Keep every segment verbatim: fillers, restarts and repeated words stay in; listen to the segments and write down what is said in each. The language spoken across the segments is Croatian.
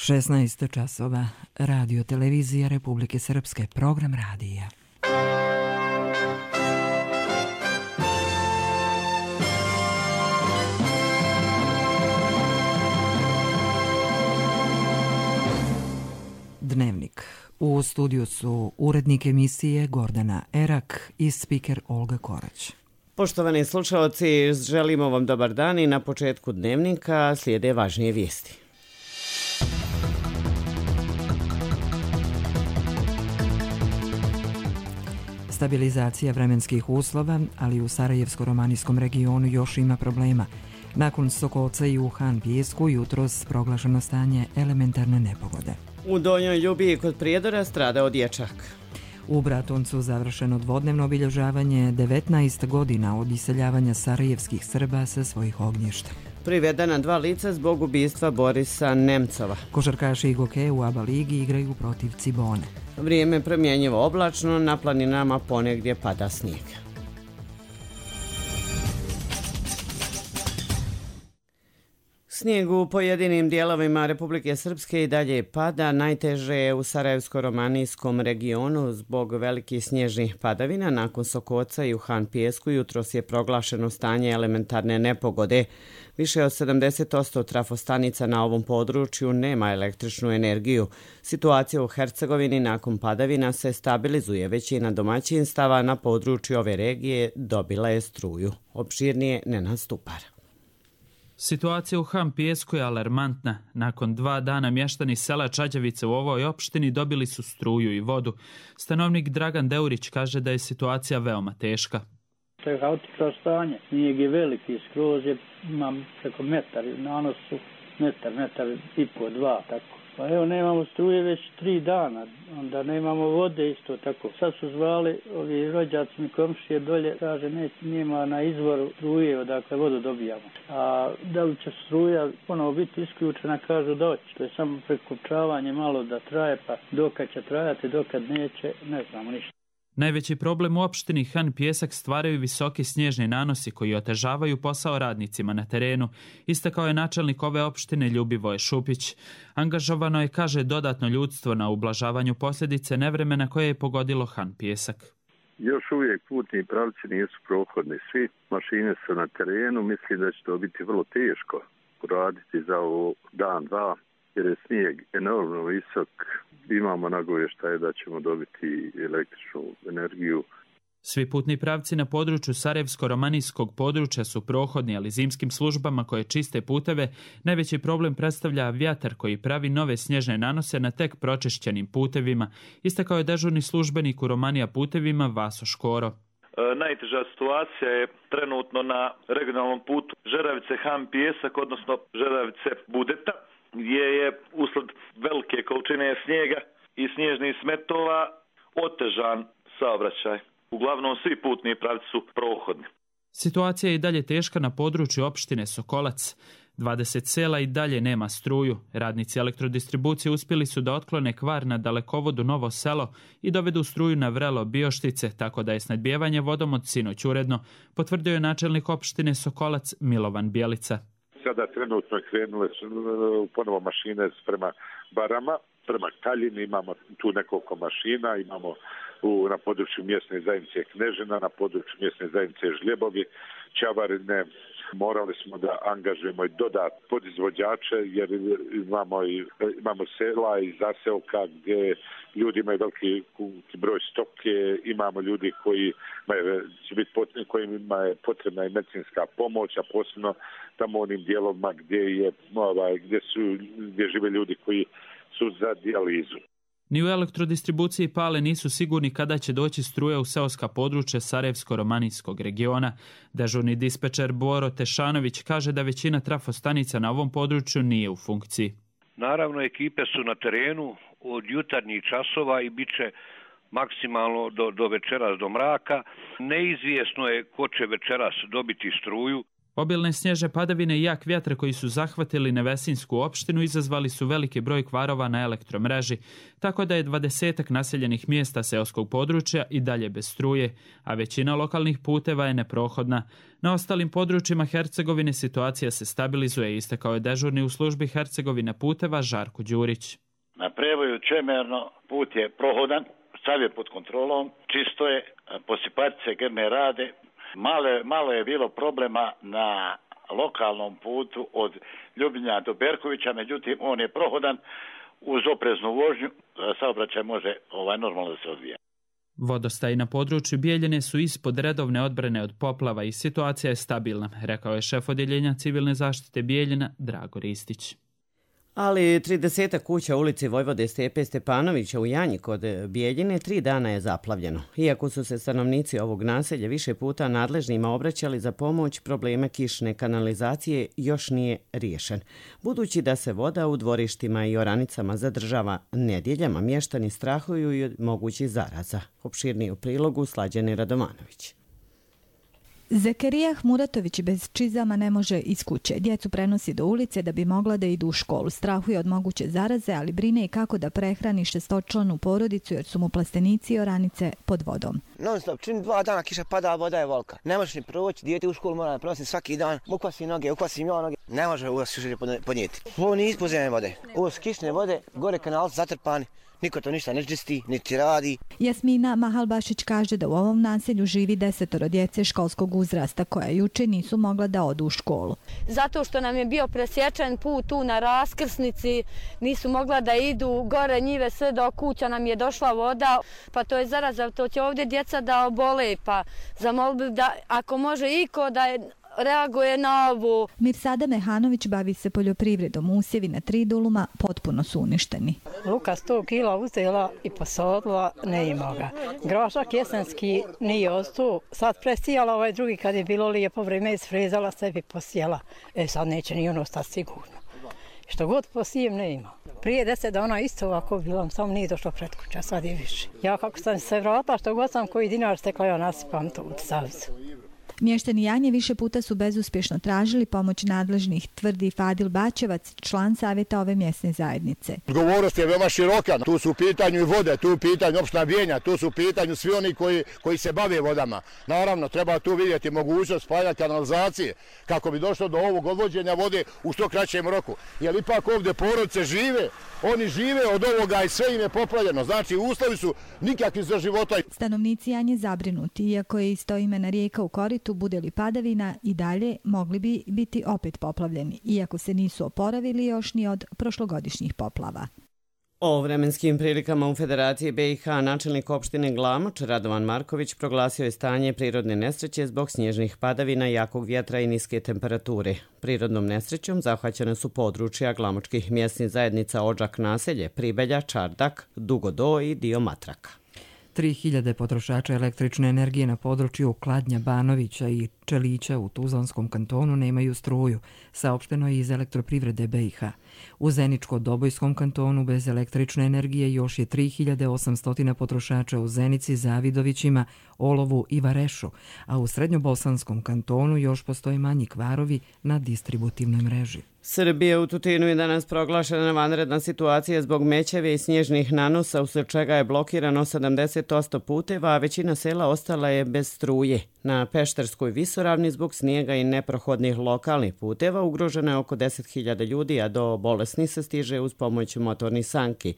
šesnaest časova, Radio Televizija Republike Srpske, program radija. Dnevnik. U studiju su urednik emisije Gordana Erak i spiker Olga Korać. Poštovani slušalci, želimo vam dobar dan i na početku dnevnika slijede važnije vijesti. Stabilizacija vremenskih uslova, ali u Sarajevsko-romanijskom regionu još ima problema. Nakon Sokolca i u Han Pijesku jutros proglašeno stanje elementarne nepogode. U Donjoj Ljubiji kod Prijedora stradao dječak. U Bratuncu završeno dvodnevno obilježavanje devetnaest godina od iseljavanja sarajevskih Srba sa svojih ognjišta. Privedena dva lica zbog ubistva Borisa Nemcova. Košarkaši Igoke u ABA ligi igraju protiv Cibone. Vrijeme promjenjivo oblačno, na planinama ponegdje pada snijeg. Snijeg u pojedinim dijelovima Republike Srpske i dalje pada, najteže je u Sarajevsko-romanijskom regionu zbog velikih snježnih padavina. Nakon Sokoca i u Han Pijesku jutros je proglašeno stanje elementarne nepogode. Više od sedamdeset posto trafostanica na ovom području nema električnu energiju. Situacija u Hercegovini nakon padavina se stabilizuje. Većina domaćinstava na području ove regije dobila je struju. Opširnije Nenad Stupar. Situacija u Han Pijesku je alarmantna. Nakon dva dana mještani sela Čađavice u ovoj opštini dobili su struju i vodu. Stanovnik Dragan Deurić kaže da je situacija veoma teška. To je haotično stanje. Snijeg je veliki, skroz je, imam preko metar, nanos su metar, metar i po, dva, tako. Pa evo, nemamo struje već tri dana, onda nemamo vode isto tako. Sad su zvali ovi rođaci mi komšije dolje, kaže ne, nema na izvoru struje odakle vodu dobijamo. A da li će struja ponovo biti isključena, kažu da hoće. To je samo prekopčavanje malo da traje, pa dokad će trajati, dokad neće, ne znamo ništa. Najveći problem u opštini Han Pijesak stvaraju visoki snježni nanosi koji otežavaju posao radnicima na terenu, istakao je načelnik ove opštine Ljubivoje Šupić. Angažovano je, kaže, dodatno ljudstvo na ublažavanju posljedice nevremena koje je pogodilo Han Pijesak. Još uvijek putni pravci nisu prohodni svi, mašine su na terenu, mislim da će to biti vrlo teško raditi za ovo dan, dva, jer je snijeg enormno visok. Imamo nagovještaje da ćemo dobiti električnu energiju. Svi putni pravci na području Sarajevsko-romanijskog područja su prohodni, ali zimskim službama koje čiste puteve najveći problem predstavlja vjetar koji pravi nove snježne nanose na tek pročišćenim putevima, istakao je dežurni službenik u Romanija putevima Vaso Škoro. E, najteža situacija je trenutno na regionalnom putu Žeravice-Han Pijesak, odnosno Žeravice-Budeta, gdje je usled velike količine snijega i snježnih smetova otežan saobraćaj. Uglavnom svi putni pravci su prohodni. Situacija je i dalje teška na području opštine Sokolac. dvadeset sela i dalje nema struju. Radnici elektrodistribucije uspjeli su da otklone kvar na dalekovodu Novo Selo i dovedu struju na vrelo Bioštice, tako da je snadbijevanje vodom od sinoć uredno, potvrdio je načelnik opštine Sokolac Milovan Bjelica. Sada trenutno krenule su ponovo mašine prema Barama, prema Kaljini, imamo tu nekoliko mašina, imamo u, na području mjesne zajednice Knežina, na području mjesne zajednice Žljebovi, Čavarine. Morali smo da angažujemo i dodat podizvođače jer imamo, i, imamo sela i zaselka gdje ljudi imaju veliki broj stoke, imamo ljudi koji će biti potrebni, kojima je potrebna i medicinska pomoć, a posebno tamo onim dijelovima gdje je ovaj, gdje su gdje žive ljudi koji su za dijalizu. Ni u elektrodistribuciji Pale nisu sigurni kada će doći struja u seoska područja Sarajevsko-romanijskog regiona. Dežurni dispečer Boro Tešanović kaže da većina trafostanica na ovom području nije u funkciji. Naravno, ekipe su na terenu od jutarnjih časova i bit će maksimalno do, do večeras, do mraka. Neizvjesno je ko će večeras dobiti struju. Obilne snježne padavine i jak vjetar koji su zahvatili Nevesinsku opštinu izazvali su veliki broj kvarova na elektromreži, tako da je dvadesetak naseljenih mjesta seoskog područja i dalje bez struje, a većina lokalnih puteva je neprohodna. Na ostalim područjima Hercegovine situacija se stabilizuje, istakao je dežurni u službi Hercegovine puteva Žarko Đurić. Na prevoju Čemerno put je prohodan, sav je pod kontrolom, čisto je, posipatice grme rade. Malo, malo je bilo problema na lokalnom putu od Ljubinja do Berkovića, međutim on je prohodan uz opreznu vožnju, saobraćaj može ovaj, normalno da se odvija. Vodostaji na području Bijeljine su ispod redovne odbrane od poplava i situacija je stabilna, rekao je šef odjeljenja civilne zaštite Bijeljina Drago Ristić. Ali trideset kuća u ulici Vojvode Stepe Stepanovića u Janji kod Bijeljine tri dana je zaplavljeno. Iako su se stanovnici ovog naselja više puta nadležnima obraćali za pomoć, probleme kišne kanalizacije još nije riješen. Budući da se voda u dvorištima i oranicama zadržava nedjeljama, mještani strahuju i od mogućih zaraza. Opširniji u prilogu Slađane Radovanović. Zekerija Muratović bez čizama ne može iz kuće. Djecu prenosi do ulice da bi mogla da idu u školu. Strahuje od moguće zaraze, ali brine i kako da prehrani šestočlanu porodicu jer su mu plastenici i oranice pod vodom. Non stop, čim dva dana kiša pada, voda je volka. Ne možeš ni proći, dijete u školu mora prenosi svaki dan. Ukvasim noge, ukvasim ja noge. Ne može ovo se podnijeti. Ovo nije ispozemne vode. Ovo su kišne vode, gore kanal zatrpani. Niko to ništa ne čisti, niti radi. Jasmina Mahalbašić kaže da u ovom naselju živi desetoro djece školskog uzrasta koja juče nisu mogla da odu u školu. Zato što nam je bio presječen put tu na raskrsnici, nisu mogla da idu gore njive sve do kuća, nam je došla voda, pa to je zaraza, to će ovdje djeca da obole, pa zamolbi da ako može iko da je reaguje na ovu. Mirsada Mehanović bavi se poljoprivredom. Usjevi na tri duluma potpuno su uništeni. Luka sto kila uzela i posodila, ne ima ga. Grošak jesenski nije ostao. Sad presijala ovaj drugi kad je bilo lijepo vrijeme, isfrezala sebi posijela. E sad neće ni ono ostati sigurno. Što god posijem ne ima. Prije deset dana isto ovako bilo, samo nije došlo pred kuća, sad je više. Ja kako sam se vratila, što god sam koji dinar stekla, ja nasipam to u zavisu. Mještani Janje više puta su bezuspješno tražili pomoć nadležnih, tvrdi Fadil Bačevac, član savjeta ove mjesne zajednice. Odgovornost je veoma široka. Tu su u pitanju i vode, tu u pitanju opština Bijeljina, tu su u pitanju svi oni koji, koji se bave vodama. Naravno, treba tu vidjeti mogućnost spajanja kanalizacije kako bi došlo do ovog odvođenja vode u što kraćem roku. Jer ipak ovdje porodice žive, oni žive od ovoga i sve im je poplavljeno. Znači, uslovi su nikakvi za života. Stanovnici Janje zabrinuti, iako je istoimena rijeka u koritu, bude li padavina i dalje, mogli bi biti opet poplavljeni, iako se nisu oporavili još ni od prošlogodišnjih poplava. O vremenskim prilikama u Federaciji B i H načelnik opštine Glamoč Radovan Marković proglasio je stanje prirodne nesreće zbog snježnih padavina, jakog vjetra i niske temperature. Prirodnom nesrećom zahvaćene su područja glamočkih mjesnih zajednica Odžak naselje, Pribelja, Čardak, Dugodo i dio Matraka. tri hiljade potrošača električne energije na području Kladnja, Banovića i Čelića u Tuzlanskom kantonu nemaju struju, saopšteno je iz elektroprivrede B i H. U Zeničko-Dobojskom kantonu bez električne energije još je tri hiljade osamsto potrošača u Zenici, Zavidovićima, Olovu i Varešu, a u Srednjobosanskom kantonu još postoje manji kvarovi na distributivnoj mreži. Srbija u Tutinu je danas proglašena vanredna situacija zbog mećave i snježnih nanosa, usled čega je blokirano sedamdeset posto puteva, a većina sela ostala je bez struje. Na Pešterskoj visoravni zbog snijega i neprohodnih lokalnih puteva ugroženo je oko deset hiljada ljudi, a do bolesnih se stiže uz pomoć motornih sanki.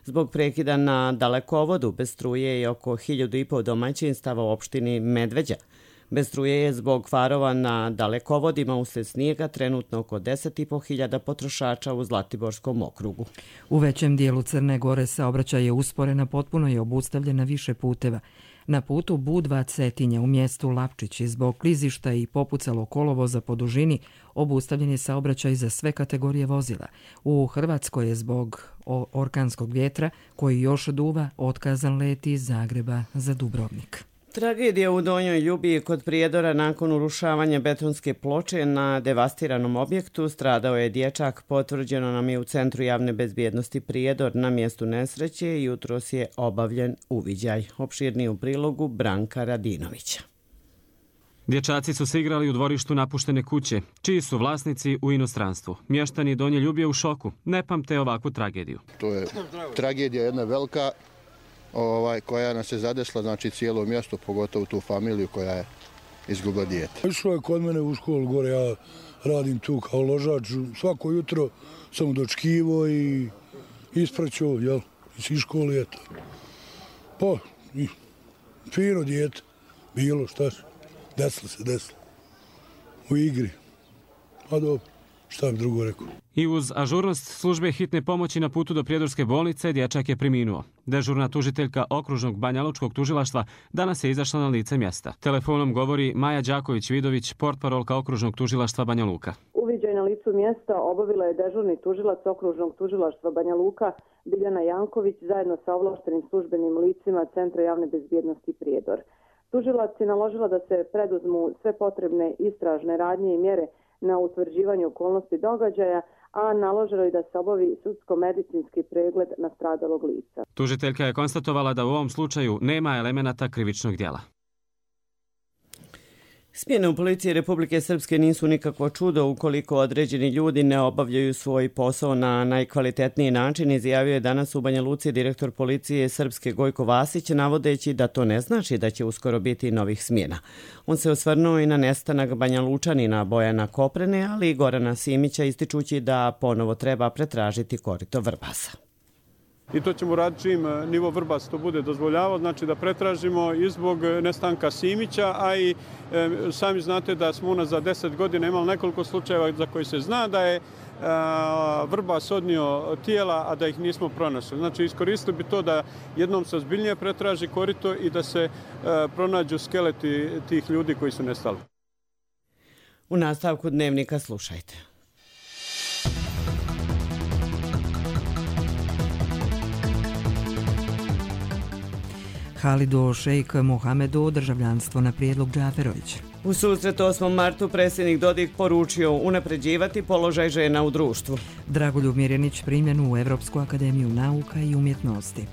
Zbog prekida na dalekovodu bez struje je oko hiljadu i pol domaćinstava u opštini Medveđa. Bez struje je zbog kvarova na dalekovodima usled snijega trenutno oko deset i pol hiljada potrošača u Zlatiborskom okrugu. U većem dijelu Crne Gore saobraćaj je usporena, potpuno je obustavljena više puteva. Na putu Budva Cetinja u mjestu Lapčići zbog klizišta i popucalo kolovoza po dužini obustavljen je saobraćaj za sve kategorije vozila. U Hrvatskoj je zbog orkanskog vjetra koji još duva otkazan let iz Zagreba za Dubrovnik. Tragedija u Donjoj Ljubiji kod Prijedora nakon urušavanja betonske ploče na devastiranom objektu. Stradao je dječak, potvrđeno nam je u Centru javne bezbjednosti Prijedor. Na mjestu nesreće i jutros je obavljen uviđaj. Opširniji u prilogu Branka Radinovića. Dječaci su se igrali u dvorištu napuštene kuće, čiji su vlasnici u inostranstvu. Mještani Donje Ljubije u šoku, ne pamte ovakvu tragediju. To je tragedija jedna velika ovaj, koja nas je zadesla, znači cijelo mjesto, pogotovo tu familiju koja je izgubila dijete. Išlo je kod mene u školu gore, ja radim tu kao ložač, svako jutro sam dočkivo i ispraćao, jel, iz škole, eto. Pa, i fino dijete, bilo šta se, desilo se, desilo. U igri. Pa dobro, šta bi drugo rekao. I uz ažurnost službe hitne pomoći na putu do Prijedorske bolnice dječak je preminuo. Dežurna tužiteljka okružnog Banjalučkog tužilaštva danas je izašla na lice mjesta. Telefonom govori Maja Đaković-Vidović, portparolka okružnog tužilaštva Banja Luka. Uviđaj na licu mjesta obavila je dežurni tužilac okružnog tužilaštva Banja Luka Biljana Janković zajedno sa ovlaštenim službenim licima Centra javne bezbjednosti Prijedor. Tužilac je naložila da se preduzmu sve potrebne istražne radnje i mjere na utvrđivanju okolnosti događaja, a naložilo je da se obavi sudsko-medicinski pregled nastradalog lica. Tužiteljka je konstatovala da u ovom slučaju nema elemenata krivičnog djela. Smjene u policiji Republike Srpske nisu nikakvo čudo ukoliko određeni ljudi ne obavljaju svoj posao na najkvalitetniji način, izjavio je danas u Banja Luci direktor policije Srpske Gojko Vasić, navodeći da to ne znači da će uskoro biti novih smjena. On se osvrnuo i na nestanak Banja Lučanina Bojana Koprene, ali i Gorana Simića, ističući da ponovo treba pretražiti korito Vrbasa. I to ćemo raditi čim nivo Vrbas to bude dozvoljavao, znači da pretražimo i zbog nestanka Simića, a i e, sami znate da smo unazad za deset godina imali nekoliko slučajeva za koji se zna da je a, Vrbas odnio tijela, a da ih nismo pronašli. Znači iskoristili bi to da jednom se ozbiljnije pretraži korito i da se a, pronađu skeleti tih ljudi koji su nestali. U nastavku dnevnika slušajte. Halidu Šejk Mohamedu državljanstvo na prijedlog Džaferovića. U susretu osmom martu predsjednik Dodik poručio unapređivati položaj žena u društvu. Dragoljub Mirjanić primljen u Evropsku akademiju nauka i umjetnosti.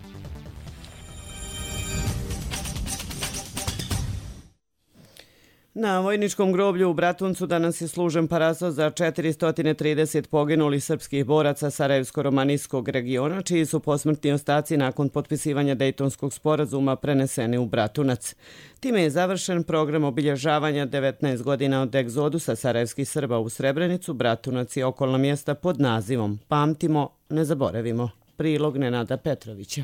Na vojničkom groblju u Bratuncu danas je služen paraso za četiristo trideset poginulih srpskih boraca Sarajevsko-romanijskog regiona, čiji su posmrtni ostaci nakon potpisivanja Dejtonskog sporazuma preneseni u Bratunac. Time je završen program obilježavanja devetnaest godina od egzodusa sarajevskih Srba u Srebrenicu, Bratunac i okolna mjesta pod nazivom Pamtimo, ne zaboravimo. Prilog Nenada Petrovića.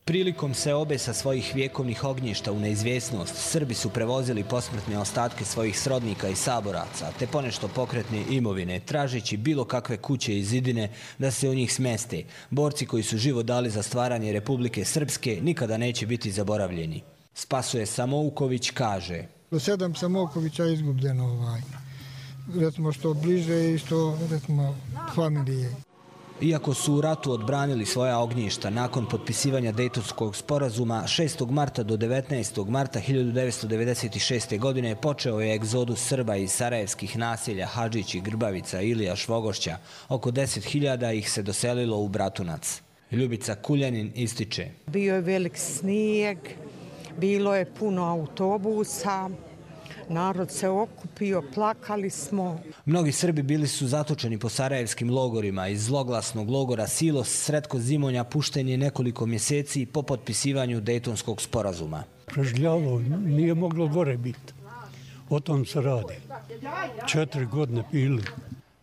Prilikom seobe sa svojih vjekovnih ognjišta u neizvjesnost, Srbi su prevozili posmrtne ostatke svojih srodnika i saboraca, te ponešto pokretne imovine, tražeći bilo kakve kuće i zidine da se u njih smeste. Borci koji su život dali za stvaranje Republike Srpske nikada neće biti zaboravljeni. Spasoje Samouković kaže: Sedam Samoukovića je izgubljeno ovaj. Recimo što bliže i što recimo familije. Iako su u ratu odbranili svoja ognjišta nakon potpisivanja Dejtonskog sporazuma, šestog marta do devetnaestog marta hiljadu devetsto devedeset šeste. godine počeo je egzodus Srba iz sarajevskih naselja Hadžić i Grbavica, Ilija, Švogošća. Oko deset hiljada ih se doselilo u Bratunac. Ljubica Kuljanin ističe: Bio je velik snijeg, bilo je puno autobusa, narod se okupio, plakali smo. Mnogi Srbi bili su zatočeni po sarajevskim logorima. Iz zloglasnog logora Silos Sretko Zimonja pušten je nekoliko mjeseci po potpisivanju Dejtonskog sporazuma. Prežljalo, nije moglo gore biti. O tom se radi. Četiri godine pili.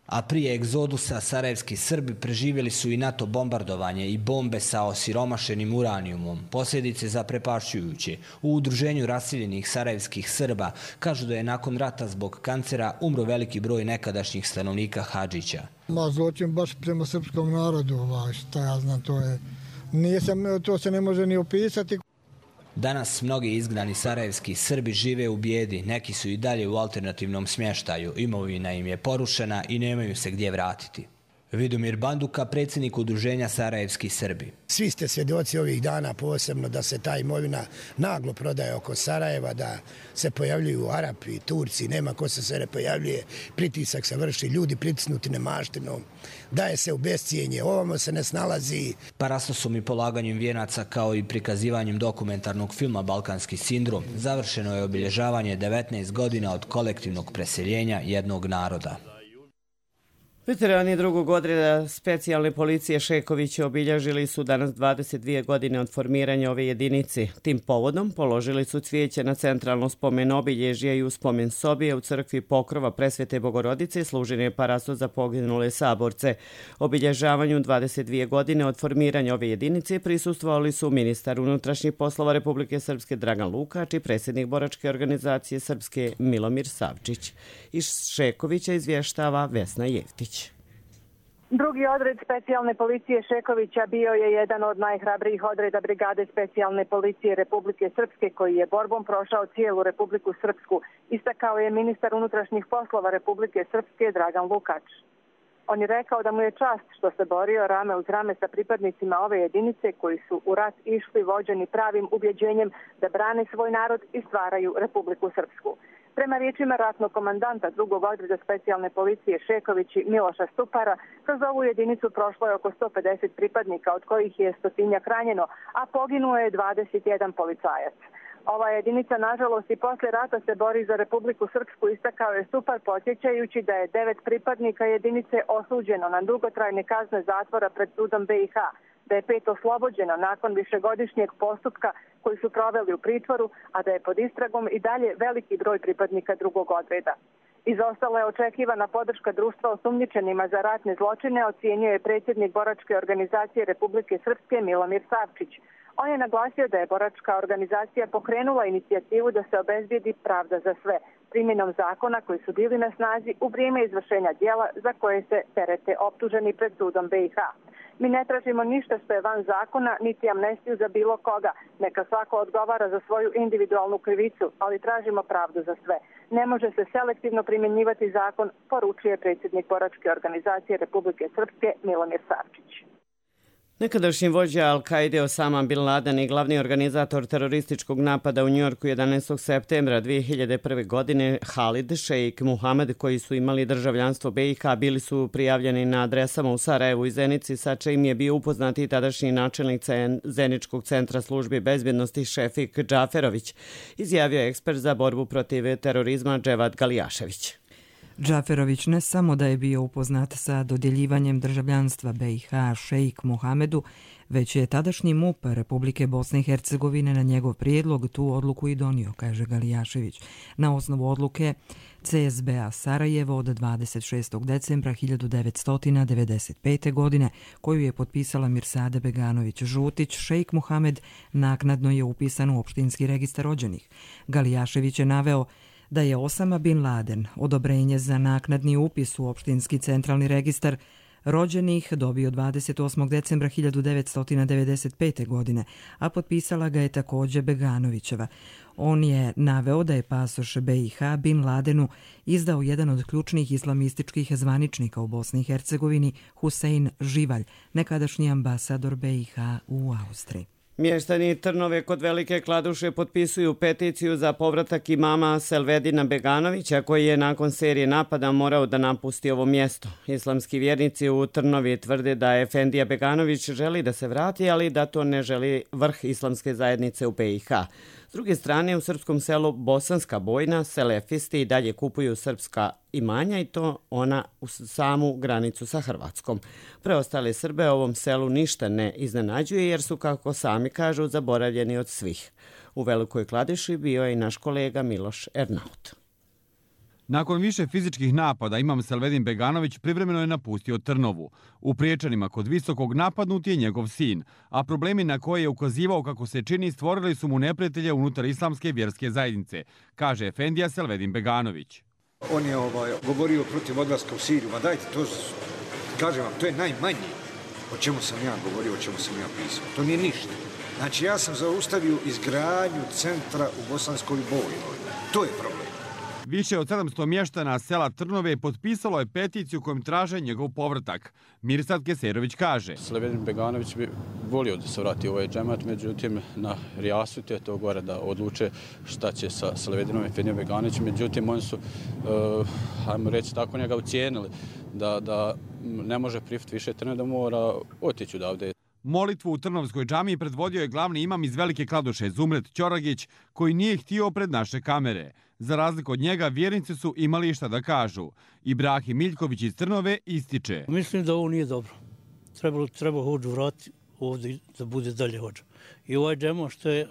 A prije egzodusa sarajevski Srbi preživjeli su i NATO bombardovanje i bombe sa osiromašenim uranijumom. Posljedice zaprepašćujuće. U udruženju raseljenih sarajevskih Srba kažu da je nakon rata zbog kancera umro veliki broj nekadašnjih stanovnika Hadžića. Ma zločin baš prema srpskom narodu, ovaj, šta ja znam, to je, nije se, to se ne može ni opisati. Danas mnogi izgnani sarajevski Srbi žive u bijedi, neki su i dalje u alternativnom smještaju, imovina im je porušena i nemaju se gdje vratiti. Vidomir Banduka, predsjednik udruženja Sarajevski Srbi. Svi ste svjedoci ovih dana posebno da se ta imovina naglo prodaje oko Sarajeva, da se pojavljuju Arapi, Turci, nema ko se sve ne pojavljuje, pritisak se vrši, ljudi pritisnuti nemaštinom, daje se u bescijenje, ovamo se ne snalazi. Parastosom i polaganjem vijenaca kao i prikazivanjem dokumentarnog filma Balkanski sindrom završeno je obilježavanje devetnaest godina od kolektivnog preseljenja jednog naroda. Veterani drugog odreda specijalne policije Šekovića obilježili su danas dvadeset dvije godine od formiranja ove jedinice. Tim povodom položili su cvijeće na centralno spomen obilježje i u spomen sobije u crkvi Pokrova Presvete Bogorodice služen je parasto za poginule saborce. Obilježavanju dvadeset dvije godine od formiranja ove jedinice prisustvovali su ministar unutrašnjih poslova Republike Srpske Dragan Lukač i predsjednik boračke organizacije Srpske Milomir Savčić. Iz Šekovića izvještava Vesna Jevtić. Drugi odred specijalne policije Šekovića bio je jedan od najhrabrijih odreda brigade specijalne policije Republike Srpske koji je borbom prošao cijelu Republiku Srpsku, istakao je ministar unutrašnjih poslova Republike Srpske Dragan Lukač. On je rekao da mu je čast što se borio rame uz rame sa pripadnicima ove jedinice koji su u rat išli vođeni pravim ubjeđenjem da brane svoj narod i stvaraju Republiku Srpsku. Prema riječima ratnog komandanta drugog odreda specijalne policije Šekovići Miloša Stupara, kroz ovu jedinicu prošlo je oko sto pedeset pripadnika, od kojih je stotinjak ranjeno, a poginuo je dvadeset jedan policajac. Ova jedinica, nažalost, i posle rata se bori za Republiku Srpsku, istakao je Stupar, podsjećajući da je devet pripadnika jedinice osuđeno na dugotrajne kazne zatvora pred sudom be i ha, da je pet oslobođeno nakon višegodišnjeg postupka koji su proveli u pritvoru, a da je pod istragom i dalje veliki broj pripadnika drugog odreda. Izostala je očekivana podrška društva osumnjičenima za ratne zločine, ocjenjuje predsjednik boračke organizacije Republike Srpske Milomir Savčić. On je naglasio da je boračka organizacija pokrenula inicijativu da se obezbijedi pravda za sve, primjenom zakona koji su bili na snazi u vrijeme izvršenja djela za koje se terete optuženi pred sudom be i ha. Mi ne tražimo ništa što je van zakona, niti amnestiju za bilo koga. Neka svako odgovara za svoju individualnu krivicu, ali tražimo pravdu za sve. Ne može se selektivno primjenjivati zakon, poručuje predsjednik boračke organizacije Republike Srpske Milomir Savčić. Nekadašnji vođa Al-Kaide Osama Bin Laden i glavni organizator terorističkog napada u Njujorku jedanaestog septembra dvije hiljade prve. godine Halid Šejk Muhamed, koji su imali državljanstvo be i ha, bili su prijavljeni na adresama u Sarajevu i Zenici, sa čim je bio upoznat i tadašnji načelnik Zeničkog centra službe bezbjednosti Šefik Džaferović, izjavio je ekspert za borbu protiv terorizma Dževad Galijašević. Džaferović ne samo da je bio upoznat sa dodjeljivanjem državljanstva be i ha Šejk Muhamedu, već je tadašnji em u pe Republike Bosne i Hercegovine na njegov prijedlog tu odluku i donio, kaže Galijašević, na osnovu odluke ce es be a Sarajevo od dvadeset šestog decembra hiljadu devetsto devedeset pete. godine, koju je potpisala Mirsade Beganović-Žutić. Šejk Muhamed naknadno je upisan u opštinski registar rođenih. Galijašević je naveo da je Osama Bin Laden odobrenje za naknadni upis u opštinski centralni registar rođenih dobio dvadeset osmog decembra hiljadu devetsto devedeset pete. godine, a potpisala ga je također Beganovićeva. On je naveo da je pasoš be i ha Bin Ladenu izdao jedan od ključnih islamističkih zvaničnika u Bosni i Hercegovini, Husein Živalj, nekadašnji ambasador be i ha u Austriji. Mještani Trnove kod Velike Kladuše potpisuju peticiju za povratak imama Selvedina Beganovića, koji je nakon serije napada morao da napusti ovo mjesto. Islamski vjernici u Trnovi tvrde da Efendija Beganović želi da se vrati, ali da to ne želi vrh islamske zajednice u be i ha. S druge strane, u srpskom selu Bosanska Bojna selefisti i dalje kupuju srpska imanja i to ona u samu granicu sa Hrvatskom. Preostale Srbe ovom selu ništa ne iznenađuje jer su, kako sami kažu, zaboravljeni od svih. U Velikoj Kladuši bio je i naš kolega Miloš Ernaut. Nakon više fizičkih napada imam Selvedin Beganović privremeno je napustio Trnovu. U Priječanima kod Visokog napadnut je njegov sin, a problemi na koje je ukazivao kako se čini stvorili su mu neprijatelje unutar islamske vjerske zajednice, kaže Efendija Selvedin Beganović. On je ovaj, govorio protiv odlaska u Siriju, ma dajte, to, kažem vam, to je najmanje o čemu sam ja govorio, o čemu sam ja pisao. To nije ništa. Znači ja sam zaustavio izgradnju centra u Bosanskoj Bojnoj. To je problem. Više od sedamsto mještana sela Trnove potpisalo je peticiju kojom traže njegov povratak. Mirsad Keserović kaže: Selavedin Beganović bi volio da se vrati u ovaj džemat, međutim na Rijasutu je to gore da odluče šta će sa Selavedinom Efendijom Beganovićem. Međutim, oni su, uh, hajmo reći tako, njega ucijenili da, da ne može prihvatiti više Trnove, da mora otići odavde. Molitvu u Trnovskoj džamiji predvodio je glavni imam iz Velike Kladuše, Zumret Ćoragić, koji nije htio pred naše kamere. Za razliku od njega, vjernici su imali šta da kažu. Ibrahim Miljković iz Trnove ističe: Mislim da ovo nije dobro. Treba, treba hođu vratiti ovdje da bude dalje hođa. I ovaj džemo što je,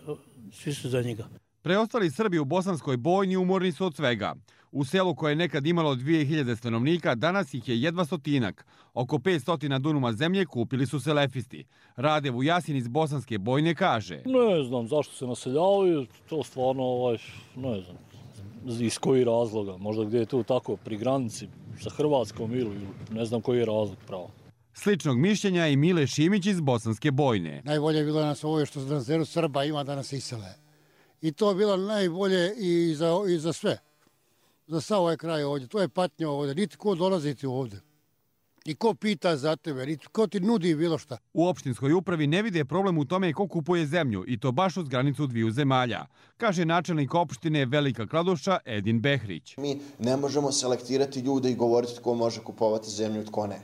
svi su za njega. Preostali Srbi u Bosanskoj Bojni umorni su od svega. U selu koje je nekad imalo dvije hiljade stanovnika, danas ih je jedva stotinak. Oko petsto dunuma zemlje kupili su selefisti. Rade Vujasin iz Bosanske Bojne kaže: Ne znam zašto se naseljavaju, to stvarno, ovaj, ne znam, iz koji razloga. Možda gdje je tu tako, pri granici sa Hrvatskom ili ne znam koji je razlog pravo. Sličnog mišljenja i Mile Šimić iz Bosanske Bojne. Najbolje je bilo nas ovo što na zelu Srba ima da nas isele. I to je bilo najbolje i za, i za sve. Za sav ovaj kraj ovdje. To je patnja ovdje. Niti ko dolaziti ovdje. I ko pita za tebe, niti ko ti nudi bilo šta. U opštinskoj upravi ne vide problem u tome ko kupuje zemlju i to baš uz granicu dviju zemalja, kaže načelnik opštine Velika Kladuša Edin Behrić. Mi ne možemo selektirati ljude i govoriti tko može kupovati zemlju, tko ne.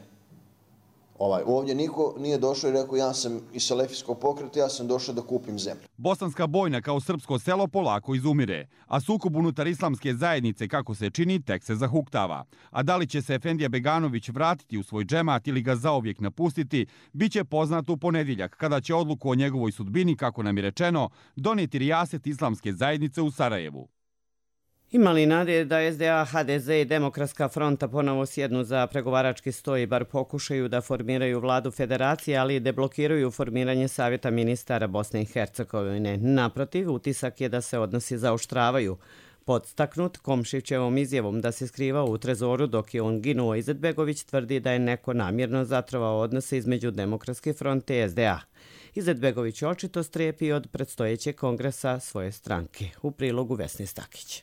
Ovaj, ovdje niko nije došao i rekao ja sam iz selefijskog pokreta, ja sam došao da kupim zemlju. Bosanska Bojna kao srpsko selo polako izumire, a sukob unutar islamske zajednice, kako se čini, tek se zahuktava. A da li će se Efendija Beganović vratiti u svoj džemat ili ga zauvijek napustiti, bit će poznato u ponedjeljak, kada će odluku o njegovoj sudbini, kako nam je rečeno, donijeti rijaset islamske zajednice u Sarajevu. Ima li nade da S D A, H D Z i Demokratska fronta ponovo sjednu za pregovarački sto i bar pokušaju da formiraju vladu federacije, ali i deblokiraju formiranje Savjeta ministara Bosne i Hercegovine? Naprotiv, utisak je da se odnosi zaoštravaju. Podstaknut Komšićevom izjavom da se skrivao u trezoru dok je on ginuo, Izetbegović tvrdi da je neko namjerno zatrovao odnose između Demokratske fronte i S D A. Izetbegović očito strepi od predstojećeg kongresa svoje stranke. U prilogu Vesni Stakić.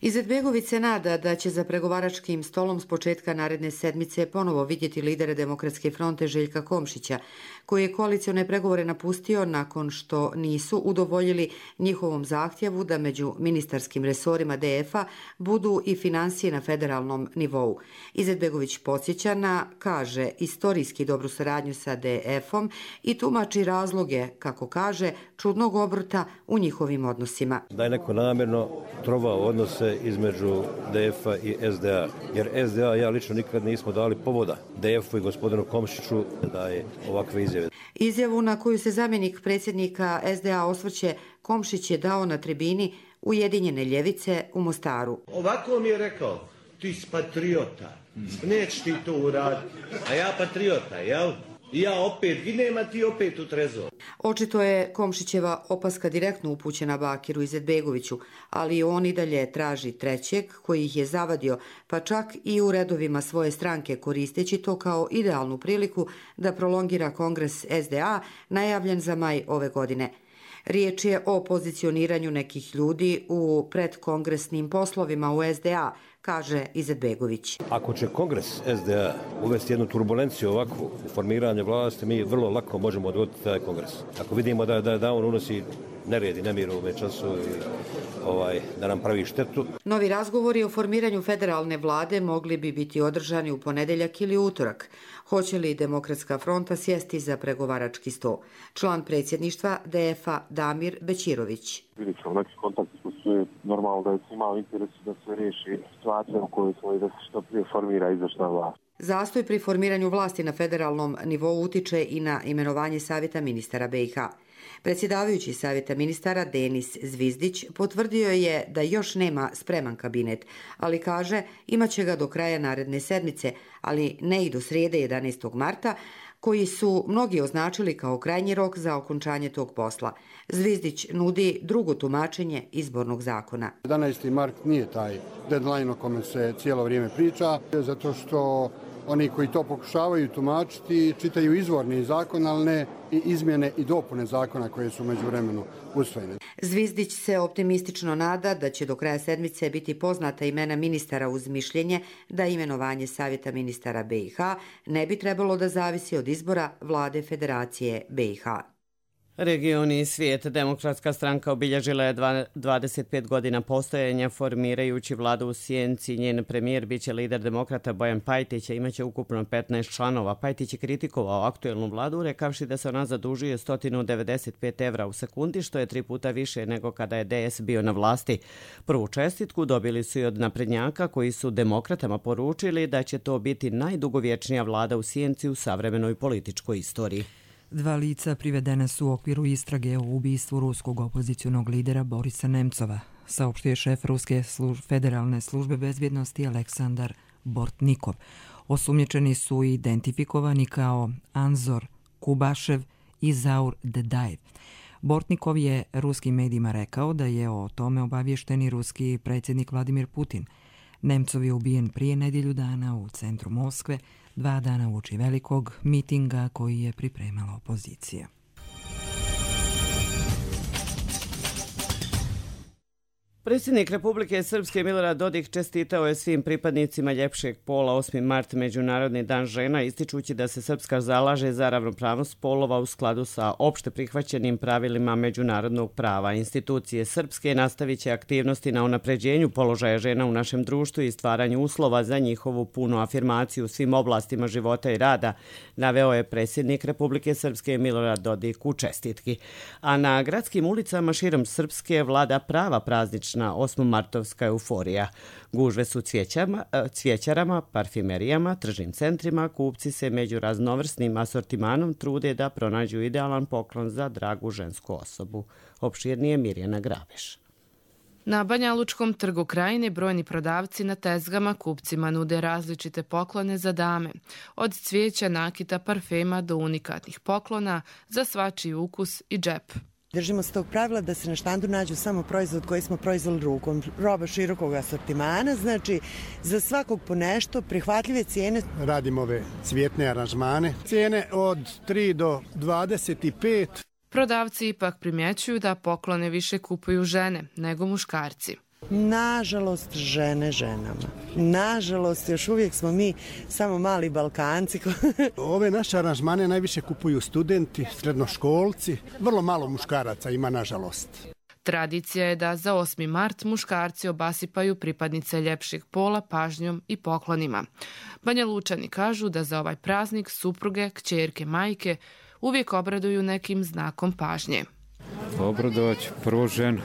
Izetbegović se nada da će za pregovaračkim stolom s početka naredne sedmice ponovo vidjeti lidere Demokratske fronte Željka Komšića, koji je koalicione pregovore napustio nakon što nisu udovoljili njihovom zahtjevu da među ministarskim resorima D F-a budu i financije na federalnom nivou. Izetbegović podsjeća na, kaže, istorijski dobru saradnju sa D F-om i tumači razloge, kako kaže, čudnog obrta u njihovim odnosima. Da je neko namjerno trovao odnose između D F-a i S D A, jer S D A ja lično nikad nismo dali povoda D F-u i gospodinu Komšiću da je ovakve izjave. Izjavu na koju se zamjenik predsjednika S D A osvrće Komšić je dao na tribini Ujedinjene ljevice u Mostaru. Ovako mi je rekao, ti si patriota, nećeš ti to uraditi, a ja patriota, jel? I ja opet ginem, a ti opet u trezor. Očito je Komšićeva opaska direktno upućena Bakiru Izetbegoviću, ali on i dalje traži trećeg koji ih je zavadio, pa čak i u redovima svoje stranke, koristeći to kao idealnu priliku da prolongira kongres S D A najavljen za maj ove godine. Riječ je o pozicioniranju nekih ljudi u predkongresnim poslovima u S D A, kaže Izetbegović. Ako će kongres S D A uvesti jednu turbulenciju ovakvu u formiranje vlasti, mi vrlo lako možemo odgoditi taj kongres. Ako vidimo da, da, da on unosi nered i nemir u ovom času i ovaj, da nam pravi štetu. Novi razgovori o formiranju federalne vlade mogli bi biti održani u ponedjeljak ili utorak. Hoće li Demokratska fronta sjesti za pregovarački sto? Član predsjedništva D F-a Damir Bećirović. Vidjet ćemo neki kontakti koji su normalno da je svima u interesu da se riješi situacija u kojoj smo i da se što prije formira izvršna vlast. Zastoj pri formiranju vlasti na federalnom nivou utiče i na imenovanje Savjeta ministara B i H. Predsjedavajući Savjeta ministara Denis Zvizdić potvrdio je da još nema spreman kabinet, ali kaže imaće ga do kraja naredne sedmice, ali ne i do srijede jedanaestog marta, koji su mnogi označili kao krajnji rok za okončanje tog posla. Zvizdić nudi drugo tumačenje izbornog zakona. jedanaesti mart nije taj deadline o kome se cijelo vrijeme priča, zato što oni koji to pokušavaju tumačiti čitaju izvorni zakon, ali ne i izmjene i dopune zakona koje su među vremenu usvojene. Zvizdić se optimistično nada da će do kraja sedmice biti poznata imena ministara uz mišljenje da imenovanje Savjeta ministara B i H ne bi trebalo da zavisi od izbora vlade Federacije B i H. Regioni i svijet. Demokratska stranka obilježila je dvadeset pet godina postojanja formirajući vladu u sjenci. Njen premijer biće lider demokrata Bojan Pajtić, a imaće ukupno petnaest članova. Pajtić je kritikovao aktuelnu vladu, rekavši da se ona zadužuje sto devedeset pet evra u sekundi, što je tri puta više nego kada je D S bio na vlasti. Prvu čestitku dobili su i od naprednjaka koji su demokratama poručili da će to biti najdugovječnija vlada u sjenci u savremenoj političkoj istoriji. Dva lica privedena su u okviru istrage o ubistvu ruskog opozicionog lidera Borisa Nemcova, saopštio je šef Ruske služ... federalne službe bezbjednosti Aleksandar Bortnikov. Osumnjičeni su identifikovani kao Anzor Kubašev i Zaur Dedajev. Bortnikov je ruskim medijima rekao da je o tome obavješteni ruski predsjednik Vladimir Putin. Nemcov je ubijen prije nedjelju dana u centru Moskve, dva dana uoči velikog mitinga koji je pripremala opozicija. Predsjednik Republike Srpske Milorad Dodik čestitao je svim pripadnicima ljepšeg pola osmi mart, Međunarodni dan žena, ističući da se Srpska zalaže za ravnopravnost polova u skladu sa opšte prihvaćenim pravilima međunarodnog prava. Institucije Srpske nastavit će aktivnosti na unapređenju položaja žena u našem društvu i stvaranju uslova za njihovu punu afirmaciju u svim oblastima života i rada, naveo je predsjednik Republike Srpske Milorad Dodik u čestitki. A na gradskim ulicama širom Srpske vlada prava praznična osmomartovska euforija. Gužve su cvjećama, cvjećarama, parfimerijama, tržnim centrima, kupci se među raznovrsnim asortimanom trude da pronađu idealan poklon za dragu žensku osobu. Opširnije Mirjana Grabeš. Na Banjalučkom trgu Krajine brojni prodavci na tezgama kupcima nude različite poklone za dame. Od cvijeća, nakita, parfema do unikatnih poklona za svačiji ukus i džep. Držimo se tog pravila da se na štandu nađu samo proizvod koji smo proizveli rukom. Roba širokog asortimana, znači za svakog po nešto, prihvatljive cijene. Radimo ove cvjetne aranžmane. Cijene od tri do dvadeset pet. Prodavci ipak primjećuju da poklone više kupuju žene nego muškarci. Nažalost, žene ženama. Nažalost, još uvijek smo mi samo mali Balkanci. Ove naše aranžmane najviše kupuju studenti, srednoškolci. Vrlo malo muškaraca ima, nažalost. Tradicija je da za osmi mart muškarci obasipaju pripadnice ljepšeg pola pažnjom i poklonima. Banjalučani kažu da za ovaj praznik supruge, kćerke, majke uvijek obraduju nekim znakom pažnje. Obradovat ću prvo ženu.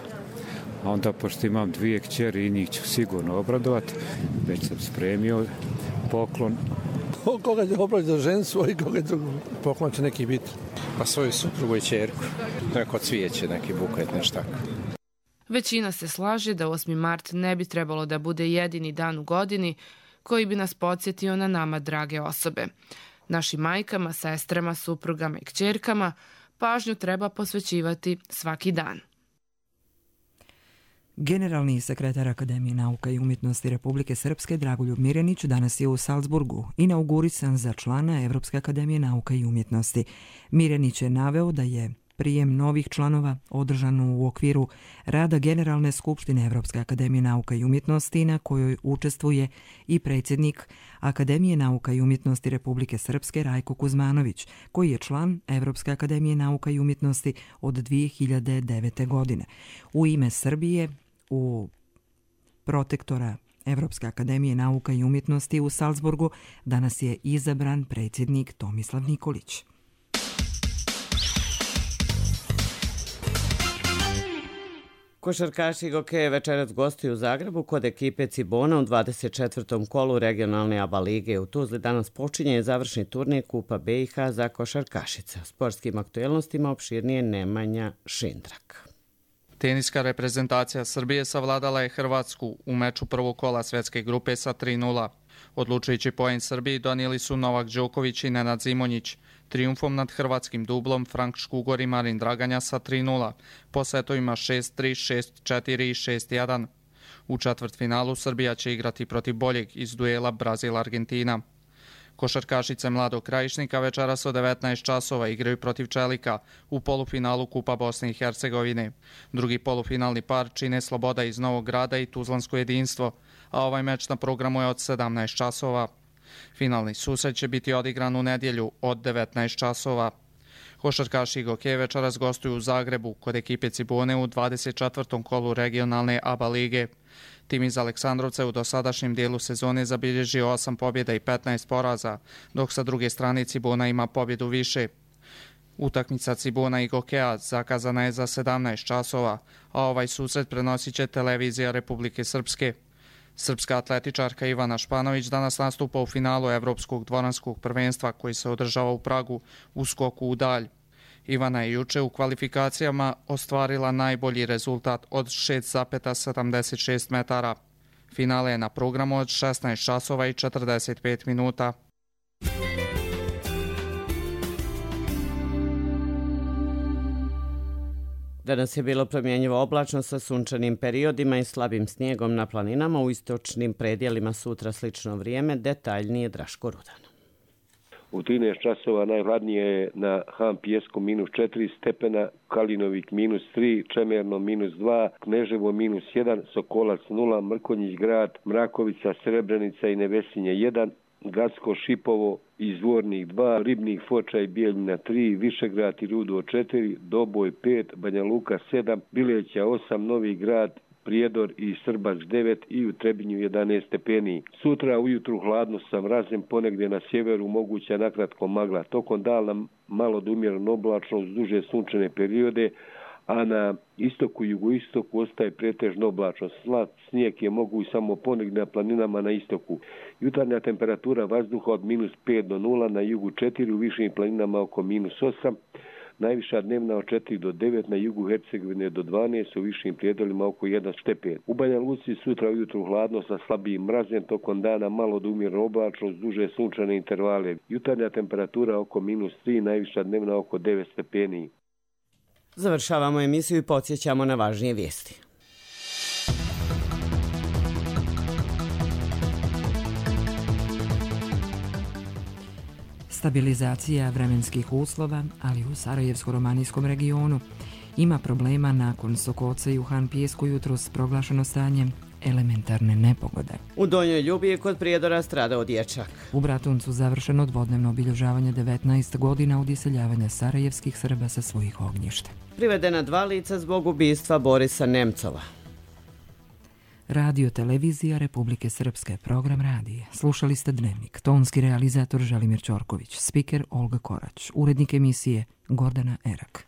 A onda, pošto imam dvije kćeri i njih ću sigurno obradovati, već sam spremio poklon. Koga će obraditi za ženu svoj, koga drugu poklon će neki biti? Pa svoju suprugu i kćerku. Neko cvijeće, neki buket, nešto tako. Većina se slaže da osmi mart ne bi trebalo da bude jedini dan u godini koji bi nas podsjetio na nama drage osobe. Našim majkama, sestrama, suprugama i kćerkama pažnju treba posvećivati svaki dan. Generalni sekretar Akademije nauka i umjetnosti Republike Srpske Dragoljub Mirjanić danas je u Salzburgu inaugurisan za člana Evropske akademije nauka i umjetnosti. Mirjanić je naveo da je prijem novih članova održan u okviru rada Generalne skupštine Evropske akademije nauka i umjetnosti na kojoj učestvuje i predsjednik Akademije nauka i umjetnosti Republike Srpske Rajko Kuzmanović, koji je član Evropske akademije nauka i umjetnosti od dvije hiljade devete. godine. U ime Srbije u protektora Evropske akademije nauka i umjetnosti u Salzburgu danas je izabran predsjednik Tomislav Nikolić. Košarkaši Gokeje večeras gostuju u Zagrebu kod ekipe Cibona u dvadeset četvrtom kolu regionalne A B A lige. U Tuzli danas počinje završni turnir Kupa B i H za košarkašice. O sportskim aktuelnostima opširnije Nemanja Šindrak. Teniska reprezentacija Srbije savladala je Hrvatsku u meču prvog kola svjetske grupe sa tri nula. Odlučujući poen Srbiji donijeli su Novak Đoković i Nenad Zimonjić. Trijumfom nad hrvatskim dublom Frank Škugor i Marin Draganja sa tri nula, po setovima šest tri, šest četiri i šest jedan. U četvrtfinalu Srbija će igrati protiv boljeg iz duela Brazil-Argentina. Košarkašice Mladog Krajišnika večeras od devetnaest časova igraju protiv Čelika u polufinalu Kupa Bosne i Hercegovine. Drugi polufinalni par čine Sloboda iz Novog Grada i Tuzlansko jedinstvo, a ovaj meč na programu je od sedamnaest časova. Finalni susret će biti odigran u nedjelju od devetnaest časova. Košarkaši Gokeje večeras gostuju u Zagrebu kod ekipe Cibone u dvadeset četvrtom kolu regionalne A B A lige. Tim iz Aleksandrovca u dosadašnjem dijelu sezone zabilježio osam pobjeda i petnaest poraza, dok sa druge strane Cibona ima pobjedu više. Utakmica Cibona i Gokeja zakazana je za sedamnaest časova, a ovaj susret prenosit će televizija Republike Srpske. Srpska atletičarka Ivana Španović danas nastupa u finalu Evropskog dvoranskog prvenstva koji se održava u Pragu u skoku u dalj. Ivana je juče u kvalifikacijama ostvarila najbolji rezultat od šest zarez sedamdeset šest metara. Finale je na programu od šesnaest časova i četrdeset pet minuta. Danas je bilo promjenjivo oblačno sa sunčanim periodima i slabim snijegom na planinama. U istočnim predjelima sutra slično vrijeme, detaljnije Draško Rudan. U trinaest časova najhladnije je na Han Pijesku minus četiri stepena, Kalinovik minus tri, Čemerno minus dva, Kneževo minus jedan, Sokolac nula, Mrkonjić grad, Mrakovica, Srebrenica i Nevesinje jedan, Gacko, Šipovo i Zvornik dva, Ribnik, Foča i Bijeljina tri, Višegrad i Rudo četiri, Doboj pet, Banja Luka sedam, Bileća osam, Novi Grad, Prijedor i Srbac devet i u Trebinju jedanaest stepeni. Sutra ujutru hladno sa mrazem, ponegdje na sjeveru moguća nakratko magla. Tokom dana malo do umjereno oblačno uz duže sunčane periode, a na istoku i jugoistoku ostaje pretežno oblačno. Slab snijeg je moguć samo ponegdje na planinama na istoku. Jutarnja temperatura vazduha od minus pet do nula, na jugu četiri, u višim planinama oko minus osam. Najviša dnevna od četiri do devet, na jugu Hercegovine do dvanaest, u višim prijedolima oko jedan stepen. U Banja Luci sutra ujutru hladno sa slabijim mrazem, tokom dana malo do umjereno oblačno uz duže sunčane intervale. Jutarnja temperatura oko minus tri, najviša dnevna oko devet stepeni. Završavamo emisiju i podsjećamo na važnije vijesti. Stabilizacija vremenskih uslova, ali u Sarajevsko-romanijskom regionu. Ima problema nakon Sokoca i u Han Pijesku jutros proglašeno stanje elementarne nepogode. U Donjoj Ljubiji kod Prijedora stradao dječak. U Bratuncu završeno dvodnevno obilježavanje devetnaest godina od iseljavanja sarajevskih Srba sa svojih ognjišta. Privedena dva lica zbog ubistva Borisa Nemcova. Radio Televizija Republike Srpske, program radije. Slušali ste Dnevnik. Tonski realizator Želimir Ćorković, spiker Olga Korać, urednik emisije Gordana Erak.